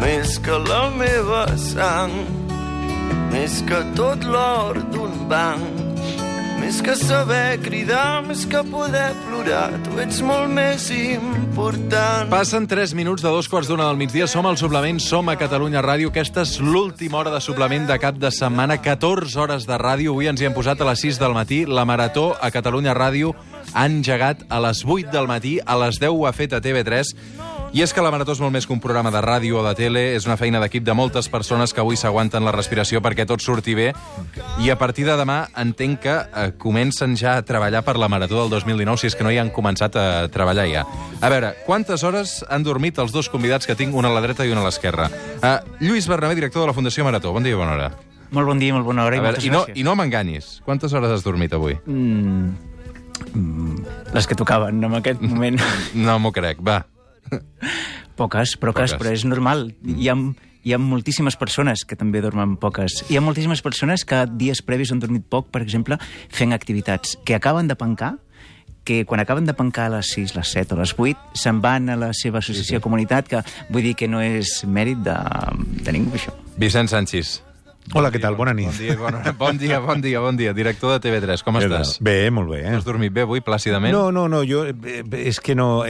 més que la meva sang, més que tot l'or d'un banc, més que saber cridar, més que poder plorar, tu ets molt més important. Passen 3 minuts de 2:15 del migdia. Som al Suplement, som a Catalunya Ràdio. Aquesta és l'última hora de Suplement de cap de setmana. 14 hores de ràdio. Avui ens hi hem posat a les 6 del matí. La Marató a Catalunya Ràdio ha engegat a les 8 del matí. A les 10 ho ha fet a TV3. I és que la Marató és molt més que un programa de ràdio o de tele. És una feina d'equip de moltes persones que avui s'aguanten la respiració perquè tot surti bé. I a partir de demà entenc que comencen ja a treballar per la Marató del 2019, si és que no hi han començat a treballar ja. A veure, quantes hores han dormit els dos convidats que tinc, una a la dreta i una a l'esquerra? Lluís Bernabé, director de la Fundació Marató. Bon dia i bona hora. Molt bon dia i molt bona hora. A veure, i no m'enganyis. Quantes hores has dormit avui? Les que tocaven en aquest moment. No m'ho crec, va. Poques, però és normal. Hi ha moltíssimes persones que també dormen poques. Hi ha moltíssimes persones que dies previs han dormit poc, per exemple, fent activitats que acaben de pencar, que quan acaben de pencar a les 6, les 7 o les 8, se'n van a la seva associació de comunitat, que vull dir que no és mèrit de ningú, això. Vicent Sanchis. Hola, què tal? Bona nit. Bon dia. Director de TV3, com estàs? Bé, molt bé. Has dormit bé avui, plàcidament? No, és que no...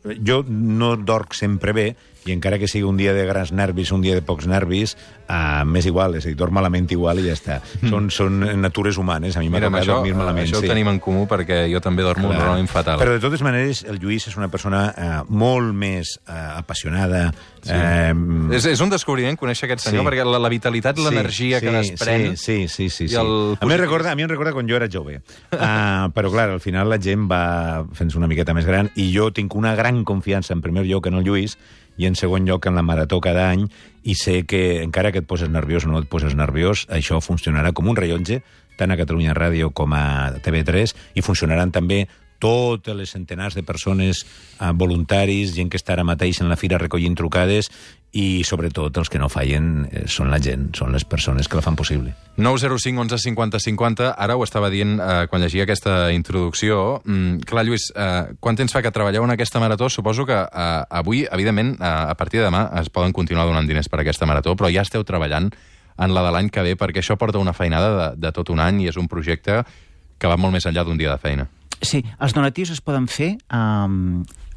Jo no dorc sempre bé, i encara que sigui un dia de grans nervis, un dia de pocs nervis, m'és igual, és a dir, dorm malament igual i ja està. Són natures humanes, a mi m'agrada dormir malament. Això ho tenim en comú perquè jo també dormo normalment fatal. Però de totes maneres, el Lluís és una persona molt més apassionada. Sí. És un descobriment conèixer aquest senyor, perquè la vitalitat, l'energia que desprèn... Sí. A mi em recorda quan jo era jove. Però, clar, al final la gent va fent-se una miqueta més gran i jo tinc una gran confiança, en primer lloc, en el Lluís, i en segon lloc en la Marató cada any, i sé que encara que et poses nerviós o no et poses nerviós, això funcionarà com un rellotge, tant a Catalunya Ràdio com a TV3, i funcionaran també totes les centenars de persones, voluntaris, gent que està ara mateix en la fira recollint trucades, i sobretot els que no fallen són la gent, són les persones que la fan possible. 905 11 50 50, ara ho estava dient quan llegia aquesta introducció. Clar, Lluís, quant temps fa que treballeu en aquesta marató? Suposo que avui, evidentment, a partir de demà es poden continuar donant diners per aquesta marató, però ja esteu treballant en la de l'any que ve, perquè això porta una feinada de tot un any i és un projecte que va molt més enllà d'un dia de feina. Sí, els donatius es poden fer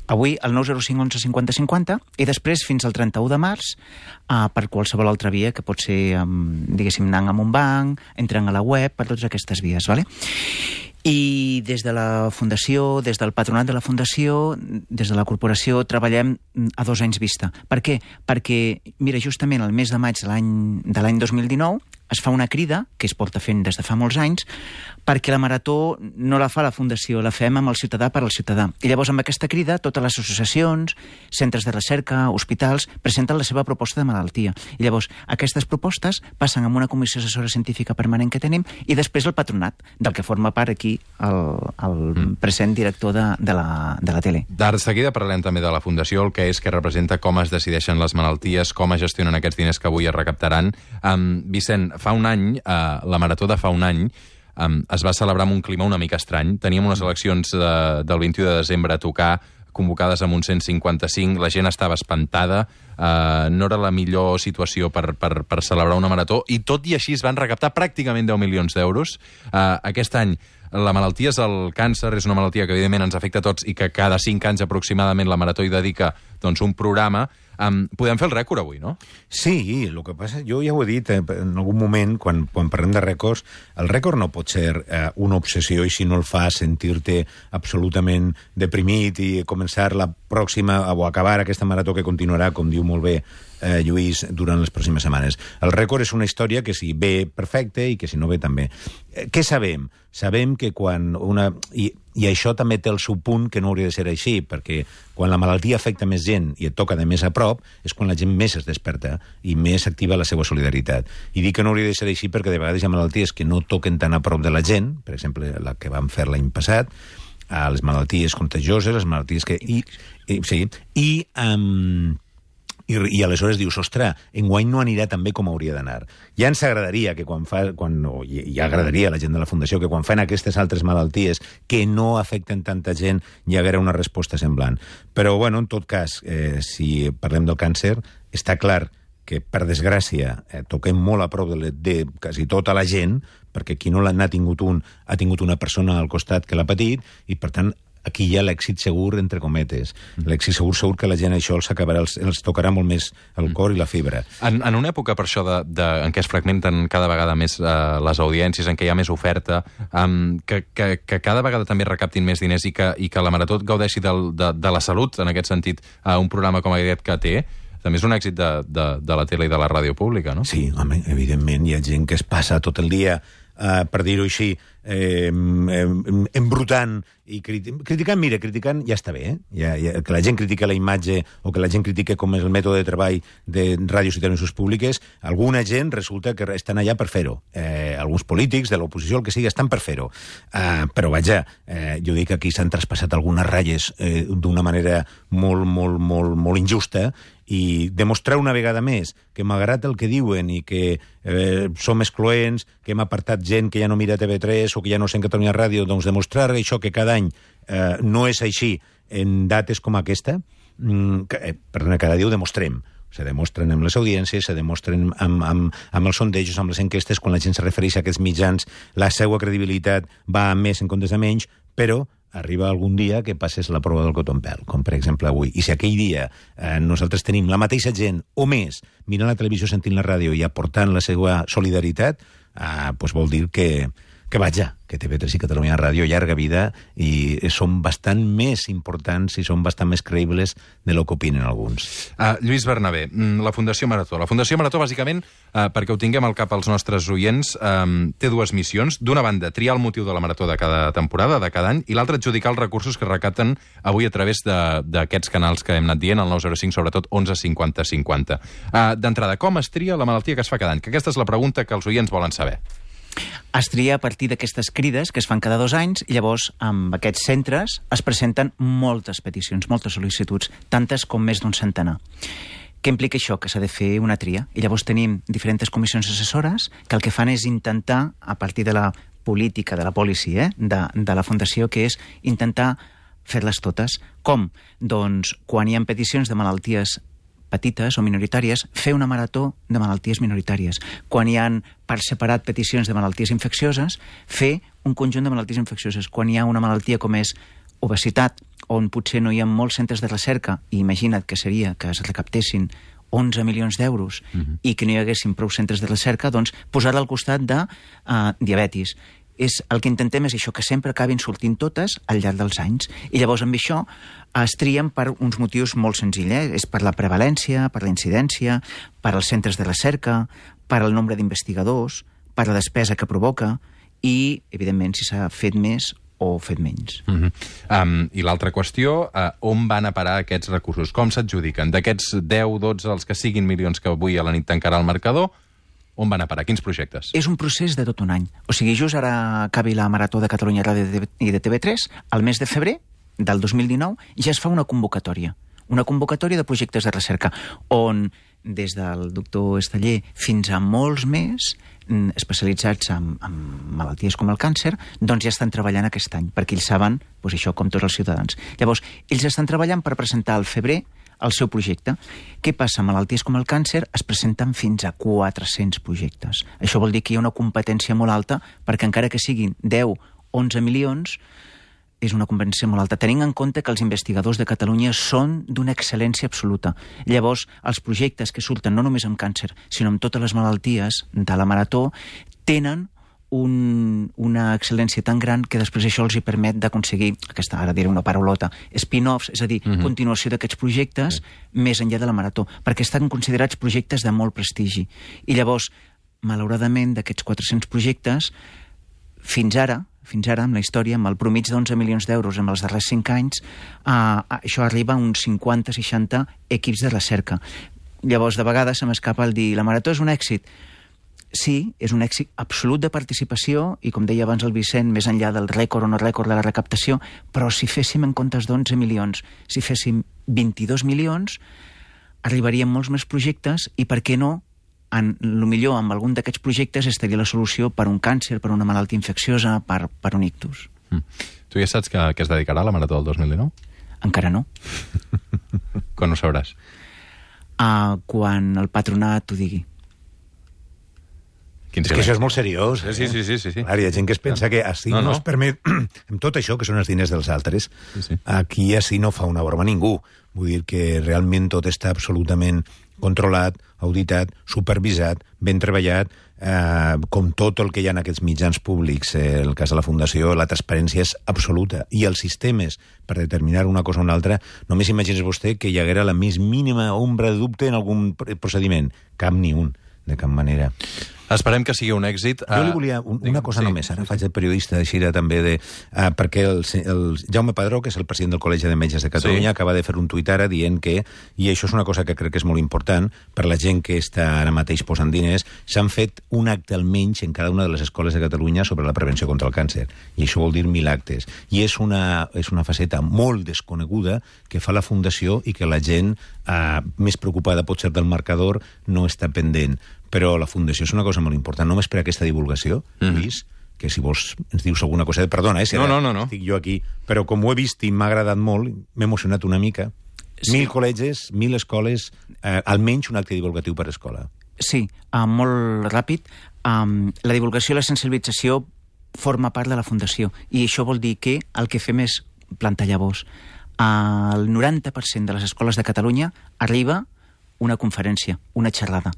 avui al 905 11 50 50 i després fins al 31 de març per qualsevol altra via, que pot ser, diguéssim, anant a un banc, entrant a la web, per totes aquestes vies, ¿vale? I des de la Fundació, des del patronat de la Fundació, des de la corporació, treballem a 2 anys vista. Per què? Perquè, mira, justament el mes de maig de l'any 2019 es fa una crida, que es porta fent des de fa molts anys, perquè la Marató no la fa la Fundació, la fem amb el ciutadà per al ciutadà. I llavors amb aquesta crida totes les associacions, centres de recerca, hospitals, presenten la seva proposta de malaltia. I llavors aquestes propostes passen amb una comissió assessora científica permanent que tenim i després el patronat, del que forma part aquí el present director de la tele. De seguida parlem també de la Fundació, el que és que representa, com es decideixen les malalties, com es gestionen aquests diners que avui es recaptaran. Vicent, fa un any, la Marató de fa un any, es va celebrar amb un clima una mica estrany. Teníem unes eleccions del 21 de desembre a tocar, convocades amb un 155, la gent estava espantada, no era la millor situació per celebrar una marató, i tot i així es van recaptar pràcticament 10 milions d'euros. Aquest any la malaltia és el càncer, és una malaltia que evidentment ens afecta a tots i que cada 5 anys aproximadament la Marató hi dedica un programa. Podem fer el rècord avui, no? Sí, el que passa, jo ja ho he dit en algun moment, quan parlem de rècords, el rècord no pot ser una obsessió, i si no el fa sentir-te absolutament deprimit i començar la pròxima o acabar aquesta marató que continuarà, com diu molt bé Lluís, durant les pròximes setmanes. El rècord és una història que si ve perfecte i que si no ve també. Què sabem? Sabem que quan una... I això també té el seu punt, que no hauria de ser així, perquè quan la malaltia afecta més gent i et toca de més a prop, és quan la gent més es desperta i més activa la seva solidaritat. I dic que no hauria de ser així perquè de vegades hi ha malalties que no toquen tan a prop de la gent, per exemple, la que vam fer l'any passat, les malalties contagioses, les malalties que... I aleshores dius, ostres, enguany no anirà tan bé com hauria d'anar. Ja ens agradaria que ja agradaria a la gent de la Fundació que quan fan aquestes altres malalties que no afecten tanta gent hi haguera una resposta semblant. Però, bueno, en tot cas, si parlem del càncer, està clar que, per desgràcia, toquem molt a prop de quasi tota la gent, perquè qui no n'ha tingut ha tingut una persona al costat que l'ha patit, i, per tant, aquí hi ha l'èxit segur, entre cometes. L'èxit segur que la gent això els tocarà molt més el cor i la fibra. En una època, per això, en què es fragmenten cada vegada més les audiències, en què hi ha més oferta, que cada vegada també recaptin més diners i que la Marató gaudeixi de la salut, en aquest sentit, un programa com aquest que té, també és un èxit de la tele i de la ràdio pública, no? Sí, home, evidentment, hi ha gent que es passa tot el dia, per dir-ho així, embrutant i criticant ja està bé, que la gent critica la imatge o que la gent critica com és el mètode de treball de ràdios i televisions públiques. Alguna gent resulta que estan allà per fer-ho. Alguns polítics de l'oposició, el que sigui, estan per fer-ho. Però vaja, jo dic que aquí s'han traspassat algunes ratlles d'una manera molt injusta, i demostrar una vegada més que, malgrat el que diuen i que som excloents, que hem apartat gent que ja no mira TV3 o que ja no sent Catalunya Ràdio, doncs demostrar això que cada any no és així en dates com aquesta, cada dia ho demostrem. Se demostren amb les audiències, se demostren amb els sondejos, amb les enquestes, quan la gent se refereix a aquests mitjans, la seva credibilitat va a més en comptes de menys, però arriba algun dia que passes la prova del cotonpèl, com per exemple avui. I si aquell dia nosaltres tenim la mateixa gent, o més, mirant la televisió, sentint la ràdio i aportant la seva solidaritat, doncs vol dir que vaja, que TV3 i Catalunya Ràdio, llarga vida, i són bastant més importants i són bastant més creïbles de lo que opinen alguns. Lluís Bernabé, la Fundació Marató. La Fundació Marató, bàsicament, perquè ho tinguem al cap els nostres oients, té dues missions. D'una banda, triar el motiu de la Marató de cada temporada, de cada any, i l'altra, adjudicar els recursos que recapten avui a través d'aquests canals que hem anat dient, el 905, sobretot 11 50 50. D'entrada, com es tria la malaltia que es fa cada any? Que aquesta és la pregunta que els oients volen saber. Es tria a partir d'aquestes crides que es fan cada 2 anys, i llavors amb aquests centres es presenten moltes peticions, moltes sol·licituds, tantes com més d'un centenar. Què implica això? Que s'ha de fer una tria. I llavors tenim diferents comissions assessores que el que fan és intentar, a partir de la política, de la policy, de la Fundació, que és intentar fer-les totes. Com? Doncs quan hi ha peticions de malalties petites o minoritàries, fer una marató de malalties minoritàries. Quan hi ha per separat peticions de malalties infeccioses, fer un conjunt de malalties infeccioses. Quan hi ha una malaltia com és obesitat, on potser no hi ha molts centres de recerca, i imagina't que seria que es recaptessin 11 milions d'euros i que no hi haguessin prou centres de recerca, doncs posar al costat de diabetis. El que intentem és això, que sempre acabin sortint totes al llarg dels anys. I llavors amb això es trien per uns motius molt senzills. És per la prevalència, per la incidència, per als centres de recerca, per al nombre d'investigadors, per la despesa que provoca i, evidentment, si s'ha fet més o fet menys. I l'altra qüestió, on van a parar aquests recursos? Com s'adjudiquen? D'aquests 10, 12, els que siguin milions que avui a la nit tancarà el marcador, on van a parar? Quins projectes? És un procés de tot un any. O sigui, just ara acabi la Marató de Catalunya Ràdio i de TV3, al mes de febrer del 2019 ja es fa una convocatòria de projectes de recerca, on des del doctor Esteller fins a molts més especialitzats en malalties com el càncer, doncs ja estan treballant aquest any, perquè ells saben, doncs això, com tots els ciutadans. Llavors, ells estan treballant per presentar al febrer el seu projecte. Què passa? Malalties com el càncer es presenten fins a 400 projectes. Això vol dir que hi ha una competència molt alta, perquè encara que siguin 10, 11 milions, és una competència molt alta, tenint en compte que els investigadors de Catalunya són d'una excel·lència absoluta. Llavors, els projectes que surten no només amb càncer, sinó amb totes les malalties de la Marató, tenen una excel·lència tan gran que després això els hi permet d'aconseguir, aquesta, ara diré una paraulota, spin-offs, és a dir, continuació d'aquests projectes més enllà de la Marató, perquè estan considerats projectes de molt prestigi. I llavors, malauradament, d'aquests 400 projectes, fins ara, amb la història, amb el promig d'11 milions d'euros en els darrers 5 anys, això arriba a uns 50-60 equips de recerca. Llavors, de vegades se m'escapa el dir la Marató és un èxit. Sí, és un èxit absolut de participació i, com deia abans el Vicent, més enllà del rècord o no rècord de la recaptació, però si féssim en comptes d'11 milions, si féssim 22 milions, arribarien molts més projectes i, per què no, millor amb algun d'aquests projectes estaria la solució per un càncer, per una malaltia infecciosa, per un ictus. Tu ja saps que es dedicarà a la Marató del 2019? Encara no. Quan ho sabràs? Quan el patronat ho digui. És que això és molt seriós. Sí. Clar, hi ha gent que es pensa que així no es permet, amb tot això, que són els diners dels altres, aquí així no fa una broma ningú. Vull dir que realment tot està absolutament controlat, auditat, supervisat, ben treballat, com tot el que hi ha en aquests mitjans públics. En el cas de la Fundació, la transparència és absoluta. I els sistemes, per determinar una cosa o una altra, només imagines vostè que hi haguera la més mínima ombra de dubte en algun procediment. Cap ni un, de cap manera. Esperem que sigui un èxit. Jo li volia una cosa només, ara faig de periodista de Xira també, perquè el Jaume Padró, que és el president del Col·legi de Metges de Catalunya, acaba de fer un tuit ara dient que, i això és una cosa que crec que és molt important, per la gent que està ara mateix posant diners, s'han fet un acte almenys en cada una de les escoles de Catalunya sobre la prevenció contra el càncer. I això vol dir 1.000 actes. I és una faceta molt desconeguda que fa la Fundació i que la gent més preocupada potser del marcador no està pendent. Però la Fundació és una cosa molt important, només per aquesta divulgació, Lluís, que si vols ens dius alguna cosa... Perdona, si no. Estic jo aquí, però com ho he vist i m'ha agradat molt, m'he emocionat una mica. 1.000 col·legis, 1.000 escoles, almenys un acte divulgatiu per escola. Sí, molt ràpid. La divulgació i la sensibilització forma part de la Fundació, i això vol dir que el que fem és plantar llavors. Al 90% de les escoles de Catalunya arriba una conferència, una xerrada.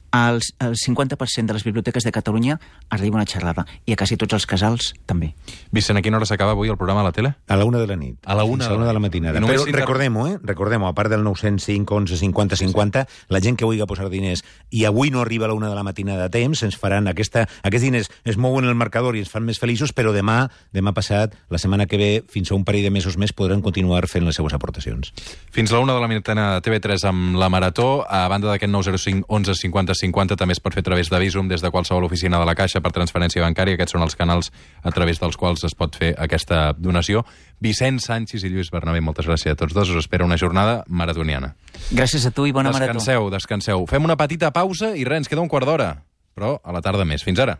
Al 50% de les biblioteques de Catalunya arriba una xerrada, i a quasi tots els casals també. Vicent, a quina hora s'acaba avui el programa a la tele? A la 1 de la nit. A la 1 de la matinada. Però recordem-ho, a part del 905 11 50 50, la gent que vulgui posar diners i avui no arriba a la 1 de la matinada a temps, ens faran aquests diners, es mouen el marcador i ens fan més feliços, però demà passat, la setmana que ve, fins a un parell de mesos més, podran continuar fent les seues aportacions. Fins a la 1 de la matinada a TV3 amb la Marató, a banda d'aquest 905 11 50 50 també es pot fer a través de Bizum des de qualsevol oficina de la Caixa per transferència bancària. Aquests són els canals a través dels quals es pot fer aquesta donació. Vicent Sanchis i Lluís Bernabé, moltes gràcies a tots dos. Us espera una jornada maratoniana. Gràcies a tu i bona marató. Descanseu. Fem una petita pausa i res, ens queda un quart d'hora. Però a la tarda més. Fins ara.